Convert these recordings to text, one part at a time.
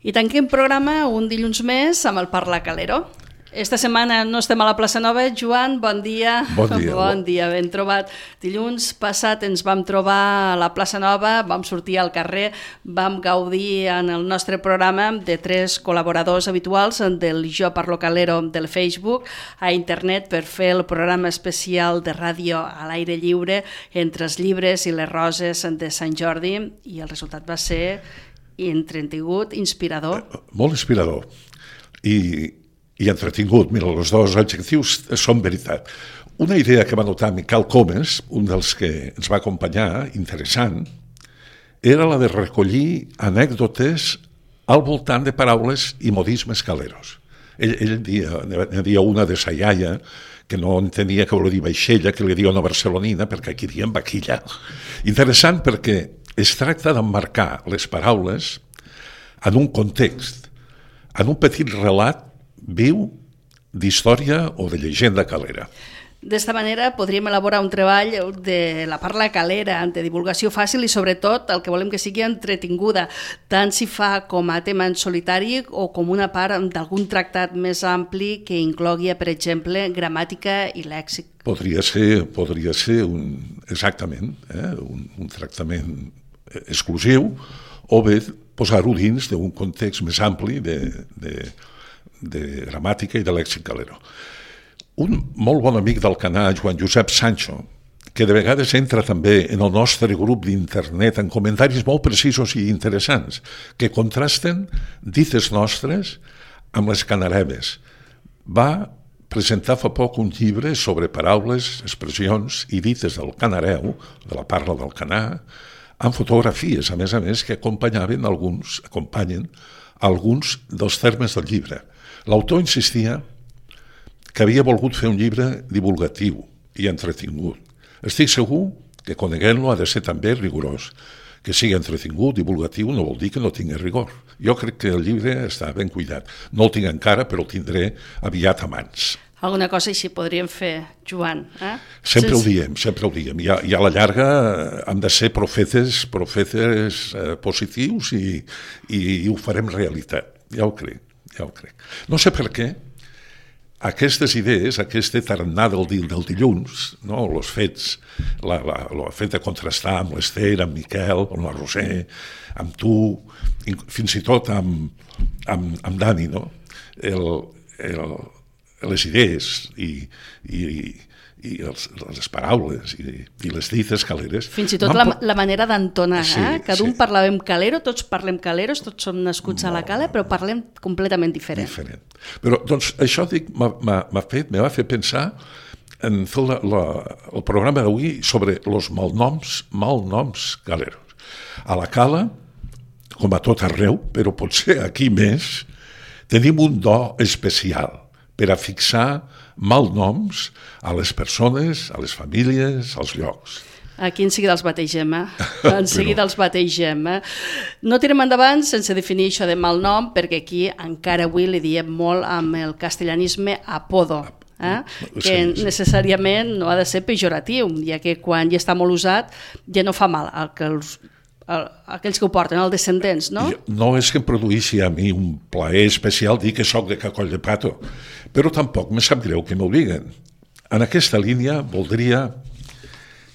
I tanquem programa un dilluns més amb el Parla Calero. Esta setmana no estem a la plaça Nova. Joan, bon dia. Bon dia. Bon dia, ben trobat. Dilluns passat ens vam trobar a la plaça Nova, vam sortir al carrer, vam gaudir en el nostre programa de 3 col·laboradors habituals del Jo Parlo Calero del Facebook a internet per fer el programa especial de ràdio a l'aire lliure entre els llibres i les roses de Sant Jordi, i el resultat va ser entretingut, inspirador. Molt inspirador i entretingut. Mira, els dos adjectius són veritat. Una idea que va notar Miquel Comes, un dels que ens va acompanyar, interessant, era la de recollir anècdotes al voltant de paraules i modismes caleros. Ell dia una de sa iaia, que no entenia que volia dir vaixella, que li diu una barcelonina, perquè aquí diem vaquilla. Interessant perquè es tracta d'emmarcar les paraules en un context, en un petit relat viu d'història o de llegenda calera. D'esta manera podríem elaborar un treball de la parla calera, de divulgació fàcil i sobretot el que volem que sigui entretinguda, tant si fa com a tema en solitari o com una part d'algun tractat més ampli que inclogui, per exemple, gramàtica i lèxic. Podria ser exactament un tractament exclusiu, o bé posar-ho dins d'un context més ampli de gramàtica i de lèxic calero. Un molt bon amic del canal, Joan Josep Sancho, que de vegades entra també en el nostre grup d'internet en comentaris molt precisos i interessants, que contrasten dites nostres amb les canareves. Va presentar fa poc un llibre sobre paraules, expressions i dites del canareu, de la parla del canà, amb fotografies, a més, que acompanyen alguns dels termes del llibre. L'autor insistia que havia volgut fer un llibre divulgatiu i entretingut. Estic segur que coneguent-lo ha de ser també rigorós. Que sigui entretingut, divulgatiu, no vol dir que no tingui rigor. Jo crec que el llibre està ben cuidat. No el tinc encara, però el tindré aviat a mans. Alguna cosa així podríem fer, Joan. Sempre ho diem. I a la llarga hem de ser profetes positius i ho farem realitat. Ja ho crec. No sé per què aquestes idees, aquest tarannà del dilluns, no? Els fets, el fet de contrastar amb l'Ester, amb Miquel, amb la Roser, amb tu, fins i tot amb Dani, no? Les idees i les paraules i les dites caleres. Fins i tot la manera d'entonar. Cada un parlàvem calero, tots parlem caleros, tots som nascuts a la cala, però parlem completament diferent. Però doncs això me va fer pensar en fer el programa d'avui sobre els malnoms caleros. A la cala, com a tot arreu, però potser aquí més, tenim un do especial per a fixar malnoms a les persones, a les famílies, als llocs. Aquí en seguida els bategem, No tirem endavant sense definir això de malnom, perquè aquí encara avui li diem molt amb el castellanisme apodo, que necessàriament no ha de ser pejoratiu, ja que quan ja està molt usat ja no fa mal aquells que ho porten, els descendents, no? No és que em produïssi a mi un plaer especial dir que soc de Cacoll de Pato, però tampoc me sap greu que m'ho diguen. En aquesta línia voldria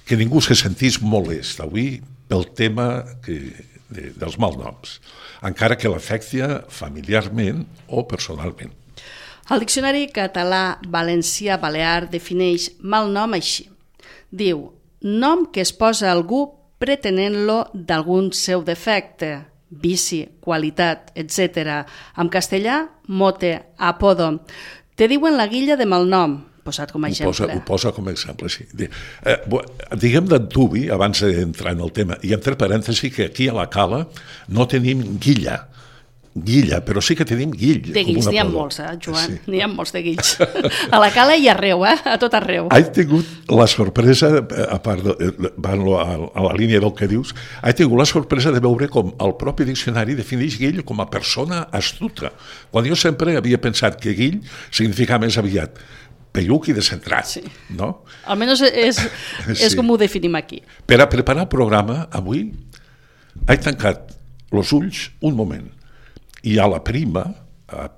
que ningú se sentís molest avui pel tema dels malnoms, encara que l'afecti familiarment o personalment. El Diccionari Català Valencià Balear defineix malnom així. Diu, nom que es posa a algú pretenent-lo d'algun seu defecte, vici, qualitat, etc. En castellà, mote, apodo. Te diuen la guilla de malnom, posat com a exemple. Ho posa com a exemple, sí. Diguem d'antuvi, abans d'entrar en el tema, i entre parèntesis que aquí a la cala no tenim guilla, però sí que tenim guill. De guills n'hi ha molts, Joan, sí. N'hi ha molts de guills. A la cala i arreu, a tot arreu. He tingut la sorpresa, a part a la línia del que dius, he tingut la sorpresa de veure com el propi diccionari defineix guill com a persona astuta, quan jo sempre havia pensat que guill significava més aviat pelluc i descentrat, sí. No? Almenys és com ho definim aquí. Per a preparar el programa, avui, he tancat els ulls un moment hi ha la prima,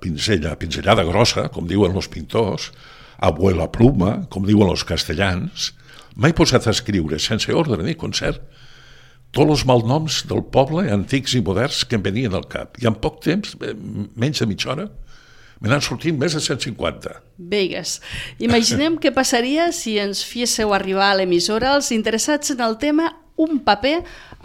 pinzellada grossa, com diuen els pintors, abuela pluma, com diuen els castellans. M'he posat a escriure, sense ordre ni concert, tots els malnoms del poble, antics i moderns, que em venien al cap. I en poc temps, menys de mitja hora, me n'han sortit més de 150. Vegas. Imaginem què passaria si ens féssiu arribar a l'emissora els interessats en el tema un paper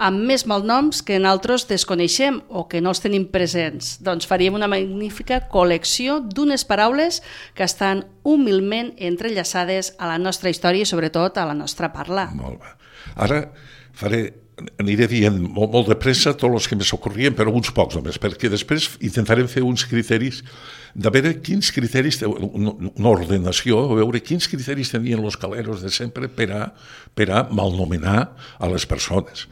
amb més malnoms que nosaltres desconeixem o que no els tenim presents. Doncs faríem una magnífica col·lecció d'unes paraules que estan humilment entrellaçades a la nostra història i sobretot a la nostra parla. Molt bé. Ara aniré dient molt de pressa tots els que me s'ocorrien, però uns pocs només, perquè després intentarem fer uns criteris, de veure quins criteris, una ordenació, a veure quins criteris tenien els caleros de sempre per a malnomenar a les persones.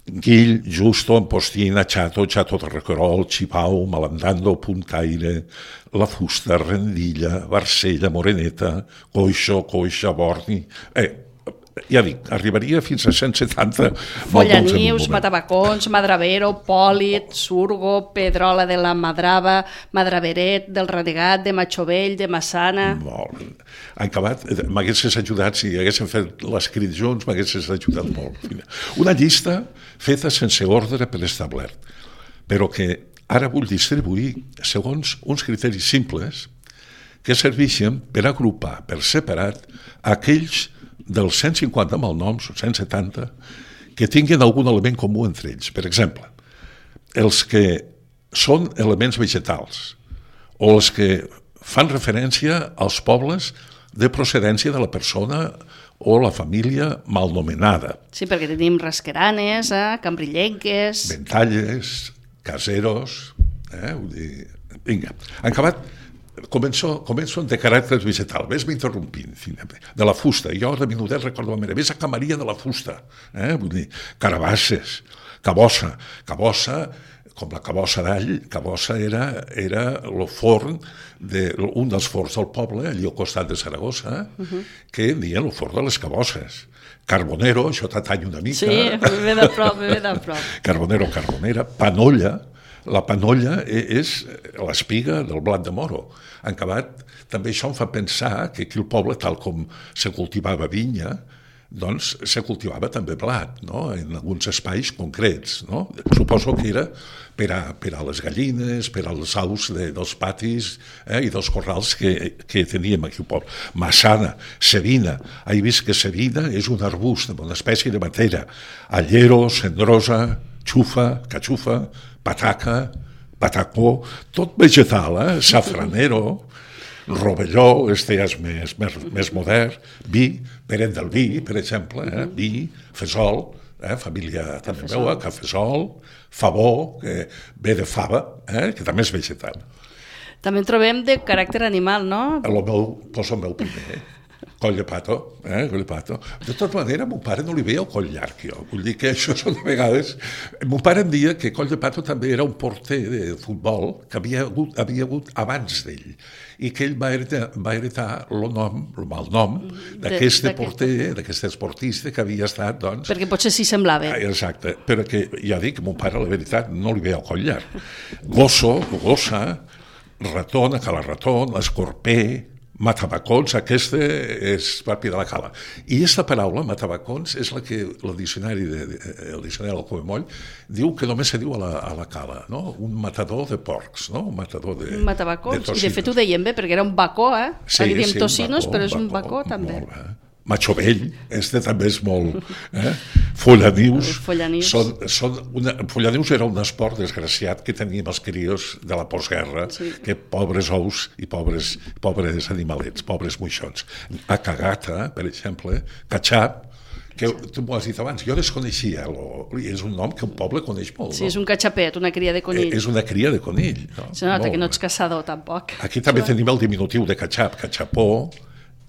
Guill, Justo, Ampostina, Chato de Requerol, Xipau, Malandando, Puntaire, La Fusta, Rendilla, Barcella, Moreneta, Coixa, Borni... Ja dic, arribaria fins a 170 Follanius, Matavacons, Madravero, Pòlit, Surgo, Pedrola de la Madrava, Madraveret, del Renegat, de Matxovell, de Massana... Molt. En acabat, m'haguessis ajudat, si haguéssim fet l'escrit junts, m'haguessis ajudat molt. Una llista feta sense ordre preestablert, però que ara vull distribuir segons uns criteris simples que serveixen per agrupar per separat aquells dels 150 malnoms, 170, que tinguin algun element comú entre ells. Per exemple, els que són elements vegetals o els que fan referència als pobles de procedència de la persona o la família malnomenada. Sí, perquè tenim rasqueranes, cambrillenques... Ventalles, caseros... Vull dir... Vinga, en acabat... Començo de caràcter vegetal, ves-me interrompint, de la fusta, jo de minutet recordo la meva, ves a Camaria de la Fusta, vull dir, carabasses, cabossa, com la cabossa d'all, cabossa era el forn, un dels forns del poble, allà al costat de Saragossa, que deien el forn de les cabosses. Carbonero, això t'atany una mica. Sí, ve de prop. Carbonera, panolla. La panolla és l'espiga del blat de moro. En acabat, també això em fa pensar que aquí al poble, tal com se cultivava vinya, doncs se cultivava també blat, no? En alguns espais concrets. No? Suposo que era per a les gallines, per als aus dels patis i dels corrals que teníem aquí al poble. Massana, sevina. He vist que sevina és un arbust, una espècie de matera. Allero, cendrosa, xufa, catxufa, pataca, patacó, tot vegetal, safranero, rovelló, este ja és més modern, vi, Peret del Vi, per exemple, vi, fesol, família també meua, cafesol, favó, que ve de fava, que també és vegetal. També en trobem de caràcter animal, no? Poso el meu primer, coll de pato, coll de pato. De tota manera, mon pare no li veia el coll llarg, jo. Vull dir que això són de vegades... Mon pare em deia que coll de pato també era un porter de futbol que havia hagut abans d'ell i que ell va heretar el malnom d'aquest porter, d'aquest esportista que havia estat, doncs... Perquè potser sí semblava. Exacte, però que ja dic, mon pare, la veritat, no li veia el coll llarg. Gosso, gossa, ratona, calarratón, escorper... Matavacons, aquesta és propi de la cala. I aquesta paraula, matavacons, és la que el diccionari del Covemoll diu que només se diu a la cala, no? Un matador de porcs, no? Un matador de matavacons, i de fet ho dèiem bé, perquè era un bacó, Sí, diem tocinos, però és un bacó també. Molt bé. Matxovell, també és molt... Follanius. Follanius era un esport desgraciat que teníem els crios de la postguerra, que pobres ous i pobres animalets, pobres moixons. A cagata, per exemple, catxap, que tu m'ho has dit abans, jo desconeixia, és un nom que un poble coneix molt. Sí, és un catxapet, una cria de conill. És una cria de conill. Se nota que no ets caçador, tampoc. Aquí també tenim el diminutiu de catxap, catxapó.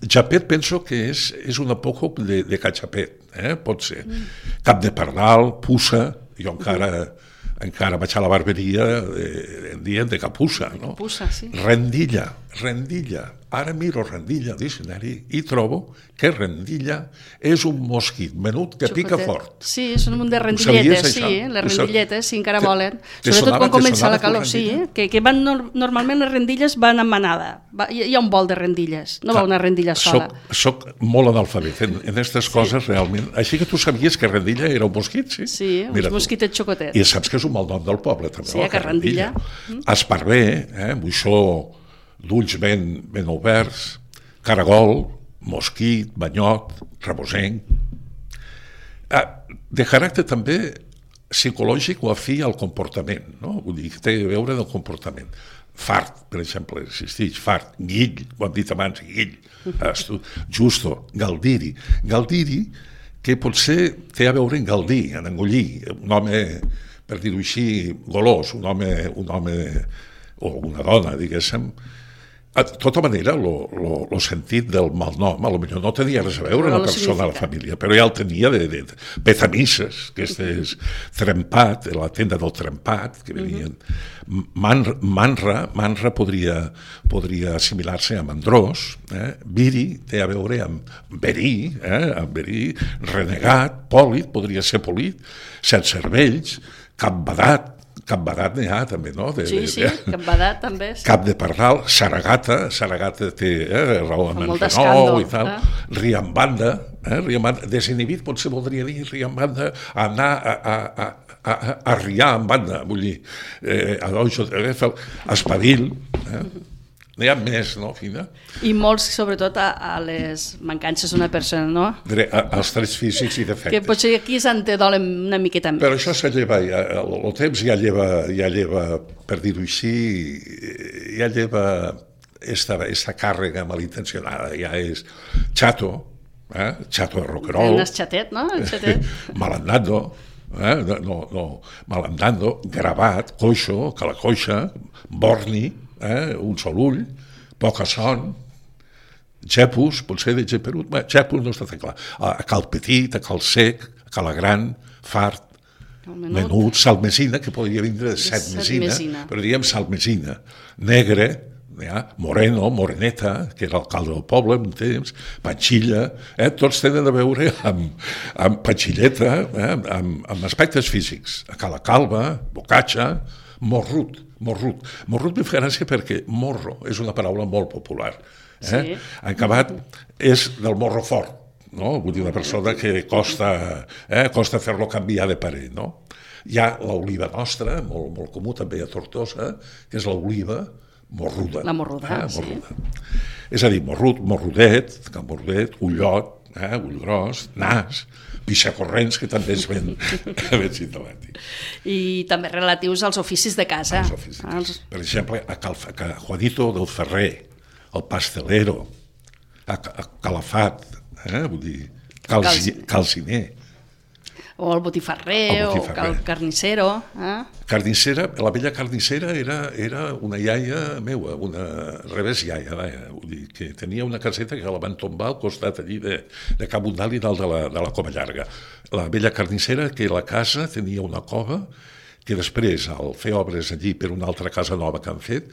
Japet penso que és un apòcop de catxapet, pot ser. Cap de pardal, puça, jo encara vaig a la barberia en dient de capussa, no? Capussa, sí. Rendilla, rendilla. Ara miro rendilla al diccionari i trobo que rendilla és un mosquit menut que pica fort. Sí, són un munt de rendilletes, sí, les rendilletes, sí, encara volen. Sobretot quan comença la calor, sí, que van normalment les rendilles van en manada. Hi ha un vol de rendilles, no va una rendilla sola. Soc molt analfabet en aquestes coses, realment. Així que tu sabies que rendilla era un mosquit, sí? Sí, uns mosquitets xocotets. I saps que és un mal nom del poble, també. Sí, que rendilla. Esparver, moixó, d'ulls ben oberts, caragol, mosquit, banyot, rebosenc. De caràcter també psicològic o afí al comportament, no? Vull dir, que té a veure del comportament. Fart, per exemple, existeix, fart, guill, ho hem dit abans, guill, justo, galdiri. Galdiri, que potser té a veure en galdir, en engollir, un home, per dir-ho així, golós, un home o una dona, diguéssim. De tota manera, el sentit del malnom, potser no tenia res a veure amb la persona de la família, però ja el tenia de petamisses, que és trempat, la tenda del trempat, que venien. Manra podria assimilar-se a mandrós, viri té a veure amb verí, renegat, pòlit, podria ser polit, set cervells, capbadat n'hi ha també, no? Sí, capbadat també. Cap de pardal, saragata té raó amb el renou i tal, riambanda, desinhibit potser voldria dir riambanda, anar a riar en banda, vull dir, espadil, n'hi ha més, no, Fina? I molts, sobretot, a les mancances d'una persona, no? Als trets físics i defectes. Que potser aquí s'antedolen una miqueta més. Però això se lleva, el temps ja lleva, per dir-ho així, ja lleva esta càrrega malintencionada, ja és chato de roquerol. Un xatet, no? Malandando, malandando, gravat, coixo, calacoixa, borni, un sol ull, poca son, xepus, potser de geperut, xepus no està tan clar, a cal petit, a cal sec, a cal gran, fart, menut, salmesina, que podria vindre de set mesina, però diguem salmesina, negre, moreno, moreneta, que era l'alcalde del poble en un temps, panxilla, tots tenen a veure amb panxilleta, amb aspectes físics, a cala calva, bocatxa, morrut me fa gràcia perquè morro és una paraula molt popular. Acabat és del morro fort, no? Vull dir, una persona que costa fer-lo canviar de parer, no? Hi ha l'oliva nostra, molt comú també a Tortosa, que és l'oliva morruda. La morruda, sí. És a dir, morrudet, ullot, ull gros, nas, pixacorrents, que també és ben simptomàtic. I també relatius als oficis de casa. Per exemple, a Juanito del Ferrer, el pastelero, a Calafat, vull dir, calciner. O el botifarrer, o el carnicero. Carnicera, la vella carnicera era una iaia meua, una revés iaia, vull dir, que tenia una caseta que la van tombar al costat allí de Cap Bundal i dalt de la Cova Llarga. La vella carnicera, que la casa tenia una cova, que després, al fer obres allí per una altra casa nova que han fet,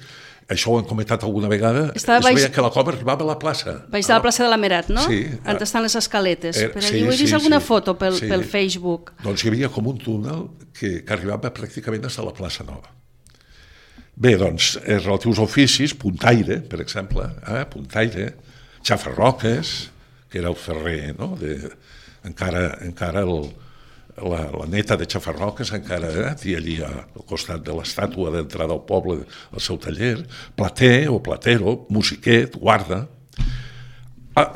això ho hem comentat alguna vegada, es veia que la cova arribava a la plaça. Baix de la plaça de la Merat, no? Sí. On estan les escaletes. Per allí ho he vist alguna foto pel Facebook. Doncs hi havia com un túnel que arribava pràcticament fins a la plaça Nova. Bé, doncs, els relatius oficis, puntaire, per exemple, puntaire, xafarroques, que era el ferrer, no? Encara la neta de Xafarroques encara té allí al costat de l'estàtua d'entrada al poble al seu taller, plater o platero, musiquet, guarda.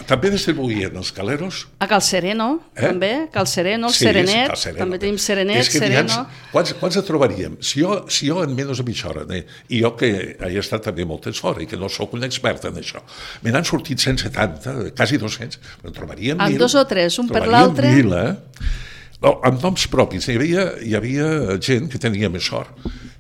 També distribuïen els caleros. A Cal Sereno, també, Cal Sereno, el Serenet, també tenim Serenet, Sereno. Quants et trobaríem? Si jo en menys de mitja hora, i jo que he estat també molt temps fora i que no sóc un expert en això, me n'han sortit 170, quasi 200, però trobaríem 1.000. En 2 o 3, un per l'altre. Amb noms propis. Hi havia gent que tenia més sort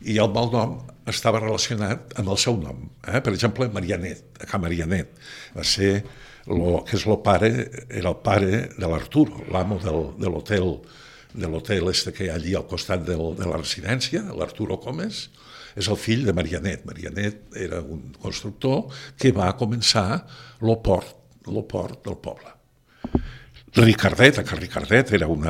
i el malnom estava relacionat amb el seu nom. Per exemple, Marianet, a Can Marianet, va ser que és era el pare de l'Arturo, l'amo de l'hotel que hi ha allí al costat de la residència, l'Arturo Comes, és el fill de Marianet. Marianet era un constructor que va començar el port del poble. Ricardet, que Ricardet era un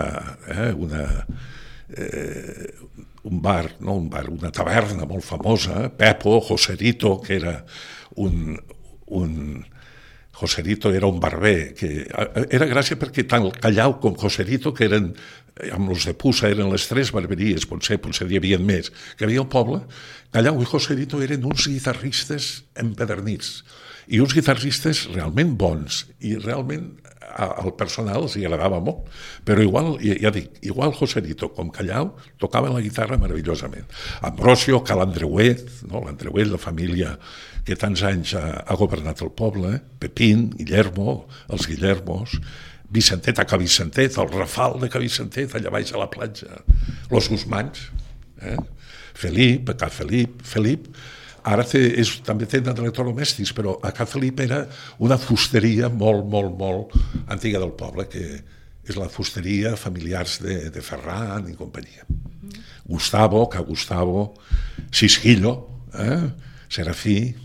bar, una taverna molt famosa, Pepo, Joserito, que era Joserito era un barber, que era gràcia perquè tant el Callao com Joserito, que eren, amb els de Puça, eren les tres barberies, potser hi havia més, que havia al poble, Callao i Joserito eren uns guitarristes empedernits, i uns guitarristes realment bons, i realment al personal els agradava molt, però igual, ja dic, igual Joserito com Callao tocaven la guitarra meravellosament. Ambrosio, l'Andreuet, no? L'Andreuet, la família que tants anys ha governat el poble, Pepín, Guillermo, els Guillermos, Vicentet a Cavicentet, el Rafal de Cavicentet, allà baix a la platja, los Guzmans, Felip, ara també tenen electrodomèstics, però a Can Felip era una fusteria molt antiga del poble, que és la fusteria familiars de Ferran i companyia. Gustavo, Sisquillo, Serafí...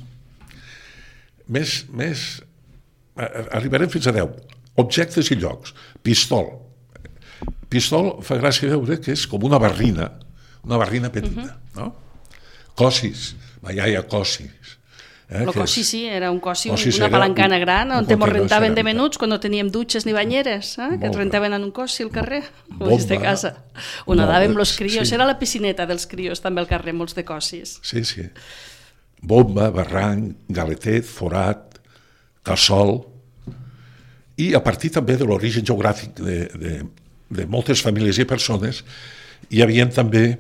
Arribarem fins a 10. Objectes i llocs. Pistol fa gràcia veure que és com una barrina petita, no? Cosis, ma iaia Cosis. El Cosi sí, era un Cosi, una palancana gran, on ens rentaven de menuts quan no teníem dutxes ni banyeres, que ens rentaven en un Cosi al carrer, molts de casa. On anàvem els crios, era la piscineta dels crios també al carrer, molts de Cosis. Sí. Bomba, barranc, galetet, forat, cassol, i a partir també de l'origen geogràfic de moltes famílies i persones, hi havia també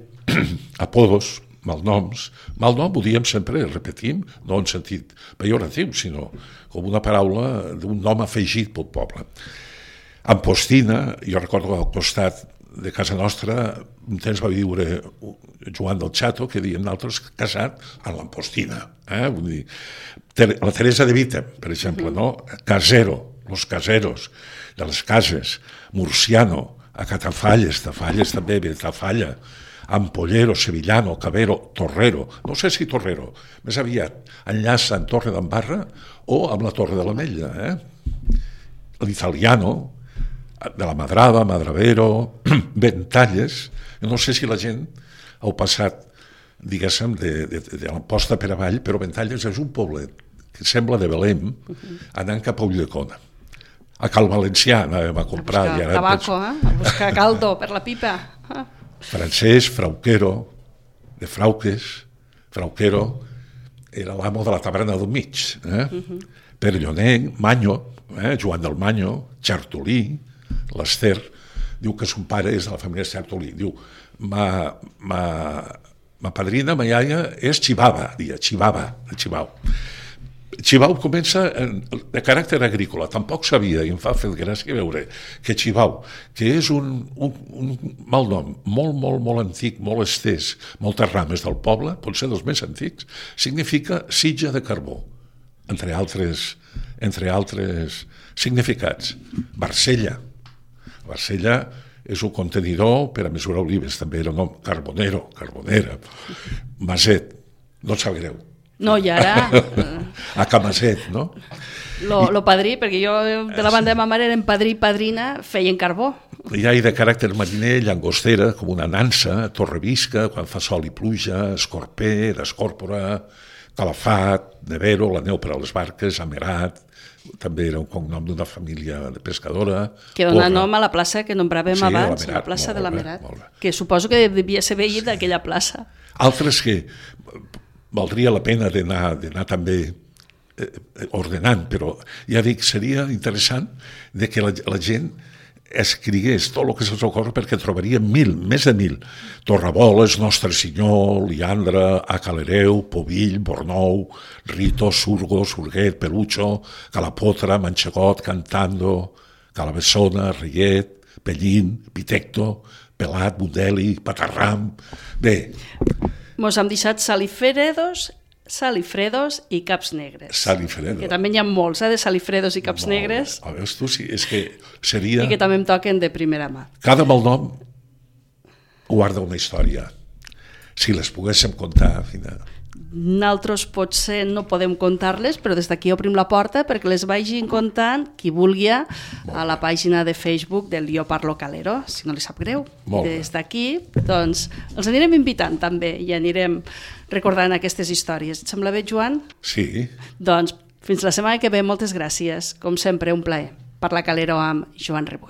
apodos, malnoms. Malnom ho diem sempre, repetim, no en sentit pejoratiu, sinó com una paraula d'un nom afegit pel poble. Ampostina, jo recordo al costat de casa nostra, un temps va viure Joan del Chato, que diem nosaltres casat a l'Ampostina. Vull dir, la Teresa de Vita, per exemple, no? Casero, los caseros, de les cases, Murciano, a Catafalles, Tafalles també, Tafalla, Ampollero, Sevillano, Cabero, Torrero, no sé si Torrero, més aviat enllaça amb Torre d'Embarra o amb la Torre de l'Ametlla, l'Italiano, de la Madrada, Madravero, Ventalles, no sé si la gent heu passat, diguéssim, de l'Amposta per avall, però Ventalles és un poblet que sembla de Belém, anant cap a Ulldecona. A Cal Valencià anàvem a comprar. A buscar tabaco, a buscar caldo per la pipa. Francesc Frauquero, de Frauques, Frauquero era l'amo de la taverna del mig. Perllonenc, Manyo, Joan del Manyo, Chartolí, l'Ester, diu que son pare és de la família Chartolí. Diu, ma padrina, ma iaia, és Chivava, de Chivau. Chivau comença de caràcter agrícola, tampoc sabia, i em fa fer gràcia veure que Chivau, que és un malnom molt antic, molt estès, moltes rames del poble, potser dels més antics, significa sitja de carbó, entre altres significats. Barcella és un contenidor per a mesurar olives, també era un nom, carbonera, Maset, no et sap greu. No, i ara... A Camaset, no? Lo padrí, perquè jo de la banda de ma mare eren padrí i padrina, feien carbó. Hi ha de caràcter mariner, llangostera, com una nansa, torrevisca, quan fa sol i pluja, escorper, d'escòrpora, calafat, nevero, la neu per a les barques, amerat, també era un cognom d'una família de pescadora. Que dona nom a la plaça que nombràvem abans, la plaça de l'Amerat, que suposo que devia ser veí d'aquella plaça. Altres que valdria la pena d'anar també ordenant, però ja dic, seria interessant de que la gent escrigués tot el que se'ls ocorre, perquè trobaria més de 1.000. Torraboles, Nostre Senyor, Liandra, A Calereu, Povill, Bornou, Rito, Surgo, Surguet, Pelucho, Calapotra, Manxegot, Cantando, Calabessona, Reyet, Pellín, Pitecto, Pelat, Bundeli, Patarram... Bé... Mos hem deixat salifredos i caps negres. Salifredos. Que també hi ha molts, de salifredos i caps negres. A veure, tu, sí, és que seria... I que també em toquen de primera mà. Cada malnom guarda una història. si les poguéssim contar, al final. Nosaltres potser no podem contar-les, però des d'aquí obrim la porta perquè les vagin contant qui vulgui a la pàgina de Facebook del Jo Parlo Calero, si no li sap greu. Des d'aquí, doncs, els anirem invitant també i anirem recordant aquestes històries. Et sembla bé, Joan? Sí. Doncs fins la setmana que ve, moltes gràcies. Com sempre, un plaer. Parlar Calero amb Joan Rebull.